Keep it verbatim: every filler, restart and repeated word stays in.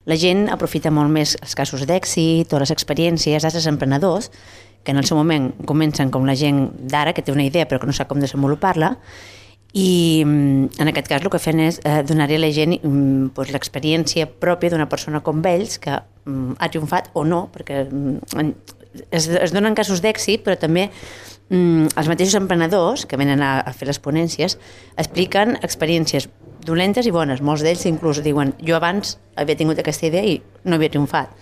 la gent aprofita molt més els casos d'èxit o les experiències d'altres emprenedors que en el seu moment comencen com la gent d'ara, que té una idea però que no sap com desenvolupar-la, i en aquest cas el que fan és eh, donar-li a la gent pues, l'experiència pròpia d'una persona com ells que mm, ha triomfat o no, perquè mm, es, es donen casos d'èxit, però també mm, els mateixos emprenedors que venen a, a fer les ponències expliquen experiències dolentes i bones. Molts d'ells inclús diuen jo abans havia tingut aquesta idea i no havia triomfat.